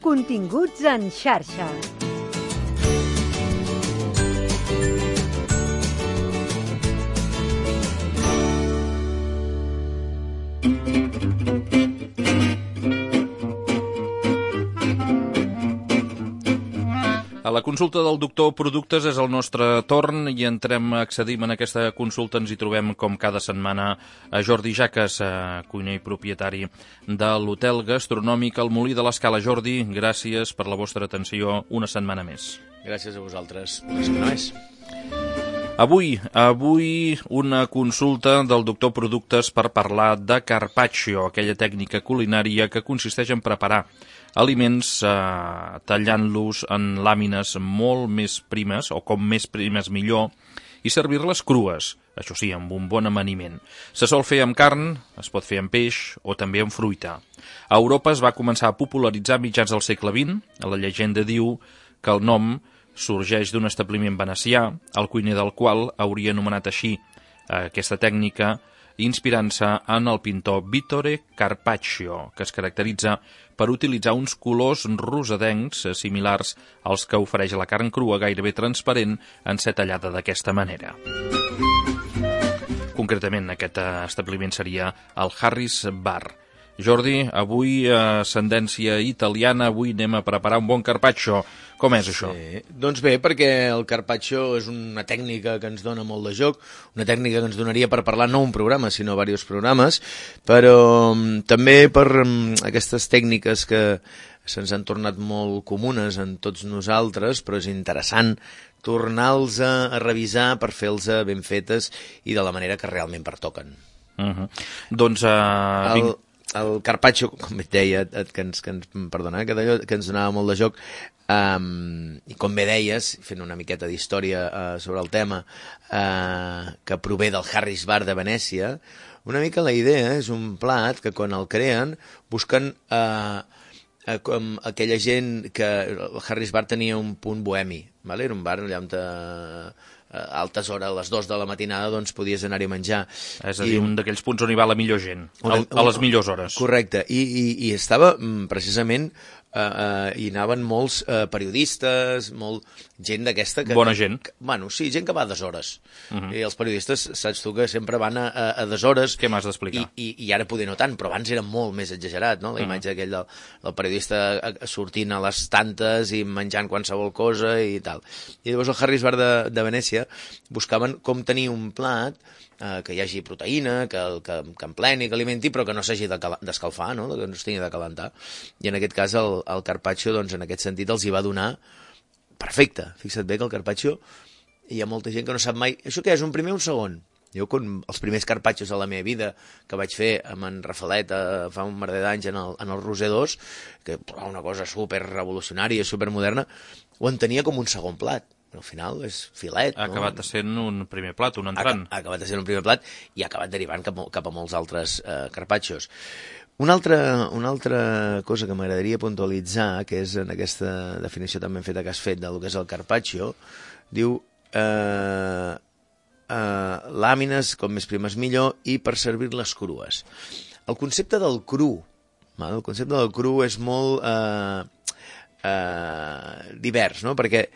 Continguts en xarxa. A la consulta del doctor Productes és el nostre torn i accedim en aquesta consulta. Ens hi trobem com cada setmana a Jordi Jaques, cuiner i propietari de l'hotel gastronòmic El Molí de l'Escala. Jordi, gràcies per la vostra atenció una setmana més. Gràcies a vosaltres. Una setmana més. Avui una consulta del doctor Productes per parlar de carpaccio, aquella tècnica culinària que consisteix en preparar aliments tallant-los en làmines molt més primes, o com més primes millor, i servir-les crues, això sí, amb un bon amaniment. Se sol fer amb carn, es pot fer amb peix o també amb fruita. A Europa es va començar a popularitzar a mitjans del segle XX. La llegenda diu que el nom sorgeix d'un establiment venecià, el cuiner del qual hauria anomenat així aquesta tècnica, inspirant-se en el pintor Vittore Carpaccio, que es caracteritza per utilitzar uns colors rosadencs similars als que ofereix la carn crua, gairebé transparent, en ser tallada d'aquesta manera. Concretament, aquest establiment seria el Harris Bar. Jordi, avui ascendència italiana, avui anem a preparar un bon carpaccio. Com és això? Sí. Doncs bé, perquè el carpaccio és una tècnica que ens dona molt de joc, una tècnica que ens donaria per parlar no un programa, sinó diversos programes, però també per aquestes tècniques que se'ns han tornat molt comunes en tots nosaltres, però és interessant tornar-los a revisar per fer-los ben fetes i de la manera que realment pertoquen. Doncs el carpaccio, com et deia, que ens donava molt de joc, i com bé deies, fent una miqueta d'història sobre el tema, que prové del Harris Bar de Venècia, una mica la idea és un plat que quan el creen busquen com aquella gent que el Harris Bar tenia un punt bohemi, era un bar allà on a altes hores, a les 2 de la matinada, doncs podies anar-hi a menjar. És a dir, un d'aquells punts on hi va la millor gent, a les millors hores. Correcte, i estava precisament, hi anaven molts periodistes, gent d'aquesta... Bona gent. Bueno, sí, gent que va a deshores. I els periodistes, saps tu, que sempre van a deshores. Què m'has d'explicar? I ara poder no tant, però abans era molt més exagerat, no? La imatge aquell del periodista sortint a les tantes i menjant qualsevol cosa i tal. I llavors el Harris Bar de Venècia buscaven com tenir un plat que hi hagi proteïna, que empleni, que alimenti, però que no s'hagi d'escalfar, no? Que no s'hagi de calentar. I en aquest cas el carpaccio, doncs, en aquest sentit, els hi va donar perfecte. Fixa't bé que el carpaccio, hi ha molta gent que no sap mai... Això què és, un primer o un segon? Jo, els primers carpaccios de la meva vida que vaig fer amb en Rafalet fa un merder d'anys en el Roser 2, que una cosa super revolucionària, super moderna, ho entenia com un segon plat. Al final és filet. Ha acabat sent un primer plat, un entrant. Ha acabat sent un primer plat i ha acabat derivant cap a molts altres carpaccios. Una altra cosa que m'agradaria puntualitzar, que és en aquesta definició també feta que has fet del que és el carpaccio, diu làmines, com més primes millor, i per servir-les crues. El concepte del cru és molt divers, no? Perquè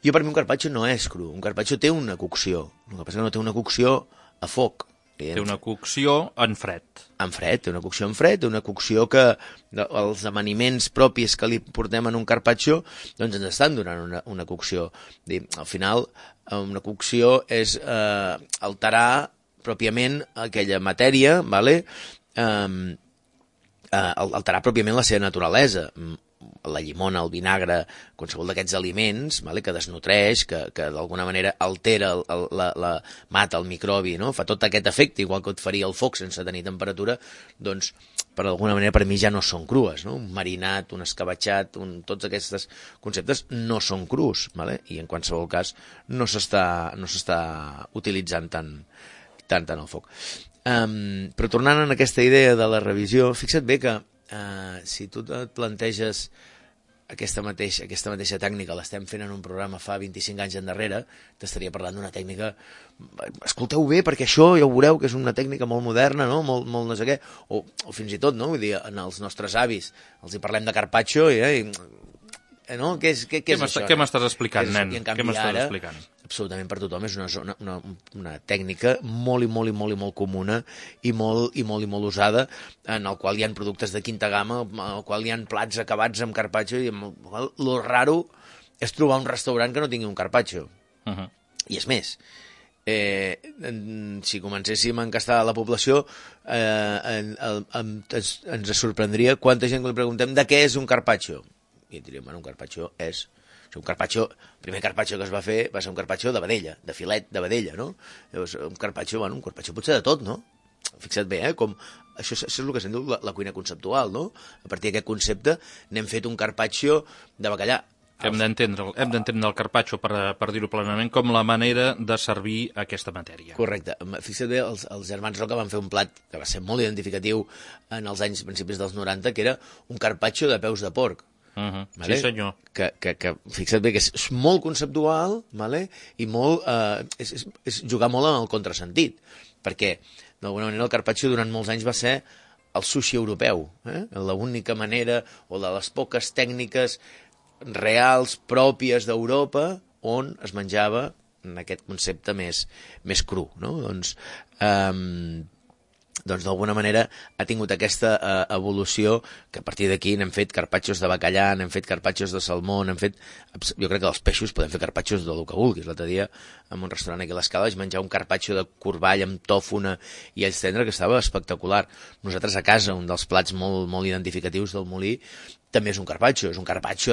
per mi un carpaccio no és cru, un carpaccio té una cocció, el que passa que no té una cocció a foc. Té una cocció en fred. Té una cocció en fred, una cocció que els amaniments propis que li portem en un carpaccio doncs ens estan donant una cocció. Al final, una cocció és alterar pròpiament aquella matèria, alterar pròpiament la seva naturalesa. La llimona, el vinagre, qualsevol d'aquests aliments que desnutreix, que d'alguna manera altera, mata el microbi, no? Fa tot aquest efecte, igual que et faria el foc sense tenir temperatura, doncs, per d'alguna manera, per mi ja no són crues, no? Un marinat, un escabatxat, tots aquests conceptes no són crus, i en qualsevol cas no s'està utilitzant tant el foc. Però tornant a aquesta idea de la revisió, fixa't bé que si tu et planteges aquesta mateixa tècnica l'estem fent en un programa fa 25 anys endarrere, t'estaria parlant d'una tècnica... Escolteu bé, perquè això ja ho veureu, que és una tècnica molt moderna, no? Molt no sé què, o fins i tot, no? Vull dir, en els nostres avis els hi parlem de carpaccio i no? Què és això? Què m'estàs explicant, nen? Què m'estàs explicant? Absolutament per tothom, és una tècnica molt comuna i molt usada, en el qual hi ha productes de quinta gamma, en el qual hi ha plats acabats amb carpaccio, i lo raro és trobar un restaurant que no tingui un carpaccio. I és més, si comencéssim a encastar la població, ens sorprendria quanta gent que li preguntem de què és un carpaccio. I et diríem, bueno, un carpaccio és... El primer carpaccio que es va fer va ser un carpaccio de vedella, de filet de vedella, no? Llavors, un carpaccio pot ser de tot, no? Fixa't bé, com... Això és el que se'n diu la cuina conceptual, no? A partir d'aquest concepte n'hem fet un carpaccio de bacallà. Hem d'entendre el carpaccio, per dir-ho plenament, com la manera de servir aquesta matèria. Correcte. Fixa't bé, els germans Roca van fer un plat que va ser molt identificatiu en els anys principis dels 90, que era un carpaccio de peus de porc. Vale? Sí, senyor. Que fixa't bé que és molt conceptual, vale? I molt, és jugar molt en el contrasentit, perquè d'alguna manera el carpaccio durant molts anys va ser el sushi europeu, l'única manera o de les poques tècniques reals pròpies d'Europa on es menjava en aquest concepte més cru, no? Doncs d'alguna manera ha tingut aquesta evolució, que a partir d'aquí n'hem fet carpaccios de bacallà, n'hem fet carpaccios de salmó, jo crec que dels peixos podem fer carpaccios del que vulguis. L'altre dia en un restaurant aquí a l'Escala vaig menjar un carpaccio de corball amb tòfona i alls tendre que estava espectacular. Nosaltres a casa, un dels plats molt identificatius del Molí també és un carpaccio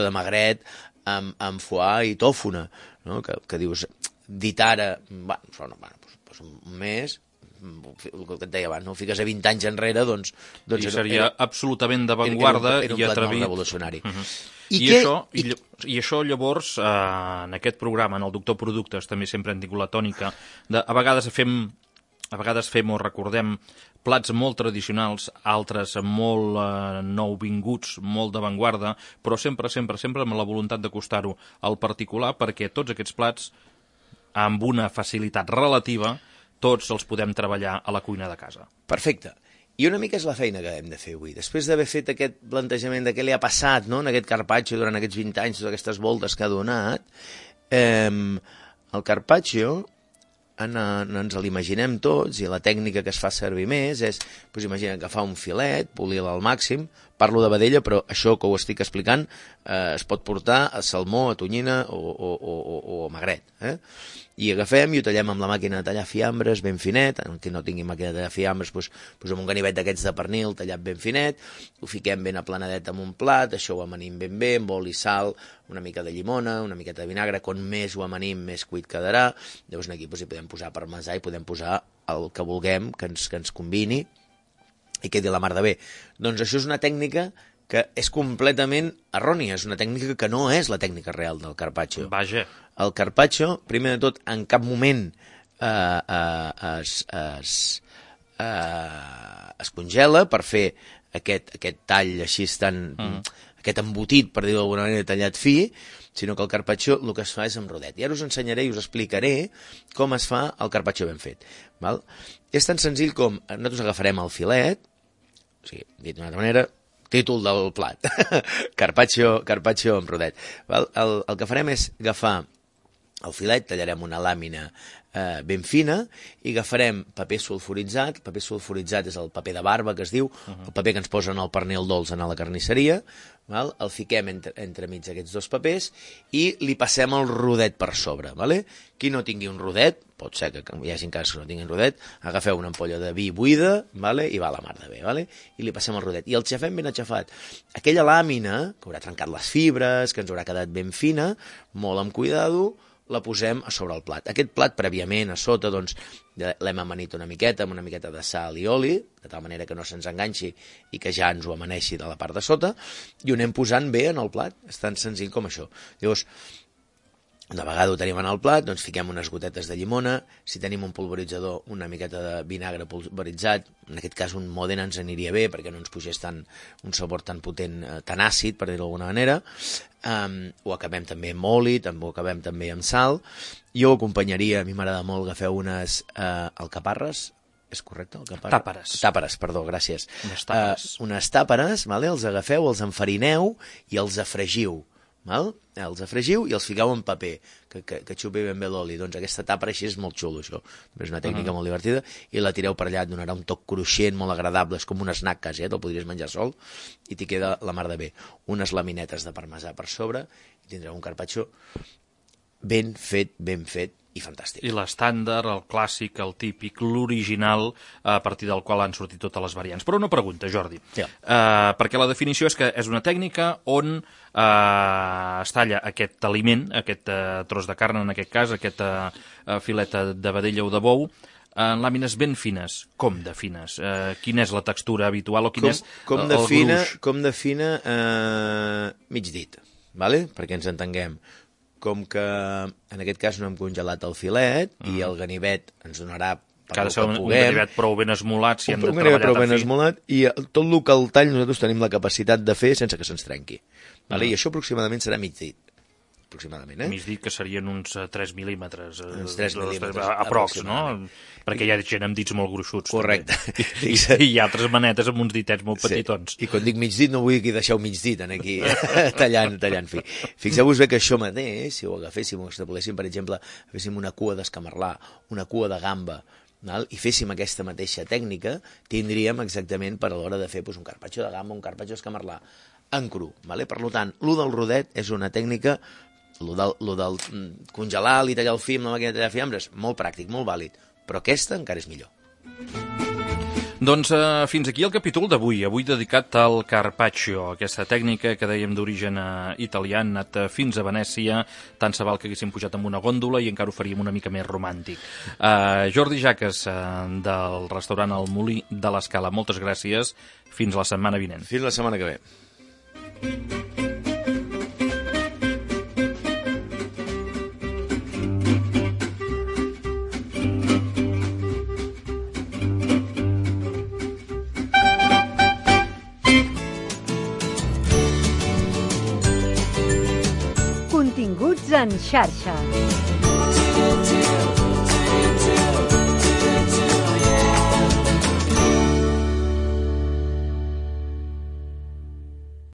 de magret amb foie i tòfona, no? Que dius, dit ara, doncs un mes... el que et deia abans, no? Fiques a 20 anys enrere, doncs I seria absolutament d'avantguarda i atrevit. Era un plat molt revolucionari. I això, llavors, en aquest programa, en el Doctor Productes, també sempre hem tingut la tònica de, a vegades fem o recordem plats molt tradicionals, altres molt nouvinguts, molt d'avantguarda, però sempre amb la voluntat d'acostar-ho al particular, perquè tots aquests plats, amb una facilitat relativa, tots els podem treballar a la cuina de casa. Perfecte. I una mica és la feina que hem de fer avui. Després d'haver fet aquest plantejament de què li ha passat, no?, en aquest carpaccio durant aquests 20 anys, totes aquestes voltes que ha donat, el carpaccio ens l'imaginem tots, i la tècnica que es fa servir més és, doncs imagina, agafar un filet, polir-lo al màxim, parlo de vedella, però això que ho estic explicant es pot portar a salmó, a tonyina o a magret, I agafem i ho tallem amb la màquina de tallar fiambres ben finet, en qui no tingui màquina de tallar fiambres, doncs amb un ganivet d'aquests de pernil tallat ben finet, ho fiquem ben aplanadet en un plat, això ho amanim ben bé, amb oli i sal, una mica de llimona, una miqueta de vinagre, com més ho amanim, més cuit quedarà. Llavors aquí hi podem posar parmesà i podem posar el que vulguem, que ens combini i quedi la mar de bé. Doncs això és una tècnica que és completament errònia, és una tècnica que no és la tècnica real del carpaccio. Vaja. El carpaccio, primer de tot, en cap moment es congela per fer aquest tall així tan... aquest embotit, per dir-ho d'alguna manera, tallat fi, sinó que el carpaccio el que es fa és amb rodet. I ara us ensenyaré i us explicaré com es fa el carpaccio ben fet. Val? És tan senzill com nosaltres agafarem el filet, o sigui, dit d'una altra manera, títol del plat, carpaccio amb rodet. Val? El que farem és agafar el filet, tallarem una làmina ben fina i agafarem paper sulfuritzat. El paper sulfuritzat és el paper de barba que es diu, el paper que ens posen al pernil dolç a la carnisseria, val? El fiquem entremig aquests dos papers i li passem el rodet per sobre. Vale? Qui no tingui un rodet, pot ser que hi hagi casos que no tinguin rodet, agafeu una ampolla de vi buida, vale? I va a la mar de bé, vale? I li passem el rodet. I el xafem ben aixafat. Aquella làmina, que haurà trencat les fibres, que ens haurà quedat ben fina, molt amb cuidado, la posem a sobre el plat. Aquest plat, prèviament, a sota, doncs, l'hem amanit una miqueta, amb una miqueta de sal i oli, de tal manera que no se'ns enganxi i que ja ens ho amaneixi de la part de sota, i ho anem posant bé en el plat. És tan senzill com això. Llavors, Una vegada ho tenim en el plat, doncs fiquem unes gotetes de llimona, si tenim un polvoritzador, una miqueta de vinagre polvoritzat, en aquest cas un Modena ens aniria bé perquè no ens pugés un sabor tan potent, tan àcid, per dir-ho d'alguna manera. Ho acabem també amb oli, ho acabem també amb sal. Jo ho acompanyaria, a mi m'agrada molt, agafeu unes alcaparres, és correcte? Tàperes. Tàperes, perdó, gràcies. Unes tàperes, vale? Els agafeu, els enfarineu i els afregiu. Val? Els afregiu i els fiqueu en paper, que xupi ben bé l'oli. Doncs aquesta tàpera així és molt xulo, això. És una tècnica molt divertida, i la tireu per allà, et donarà un toc cruixent, molt agradable, és com un snack quasi, te'l podries menjar sol, i t'hi queda la mar de bé. Unes laminetes de parmesà per sobre, i tindreu un carpaccio ben fet, i fantàstic. I l'estàndard, el clàssic, el típic, l'original, a partir del qual han sortit totes les variants. Però una pregunta, Jordi, perquè la definició és que és una tècnica on es talla aquest aliment, aquest tros de carn, en aquest cas, aquest filet de vedella o de bou, en làmines ben fines. Com de fines? Quina és la textura habitual o quin és el gruix? Com de fina, mig dit, vale? Perquè ens entenguem. Com que en aquest cas no hem congelat el filet i el ganivet ens donarà per que ha de ser un ganivet prou ben esmolat si hem de treballar prou ben esmolat, i tot el que el tall nosaltres tenim la capacitat de fer sense que se'ns trenqui. Vale? I això aproximadament serà mig dit. Aproximadament, Mig dit, que serien uns 3 mil·límetres. Uns 3 mil·límetres. Aprox, no? Perquè hi ha gent amb dits molt gruixuts. Correcte. I hi ha altres manetes amb uns ditets molt petitons. I quan dic mig dit no vull que deixeu mig dit aquí tallant. Fixeu-vos bé que això mateix, si ho agaféssim, ho extrapoléssim, per exemple, féssim una cua d'escamarlà, una cua de gamba, i féssim aquesta mateixa tècnica, tindríem exactament per a l'hora de fer un carpaccio de gamba, un carpaccio d'escamarlà en cru. Per tant, lo del rodet és una tècnica, lo del congelar i tallar el fi amb la màquina de tallar fiambres, molt pràctic, molt vàlid, però aquesta encara és millor. Doncs fins aquí el capítol d'avui, avui dedicat al carpaccio, aquesta tècnica que dèiem d'origen italià, han anat fins a Venècia, tant se val que haguéssim pujat amb una gòndola i encara ho faríem una mica més romàntic. Jordi Jaques, del restaurant El Molí de l'Escala, moltes gràcies, fins la setmana vinent. Fins la setmana que ve. Continguts en xarxa.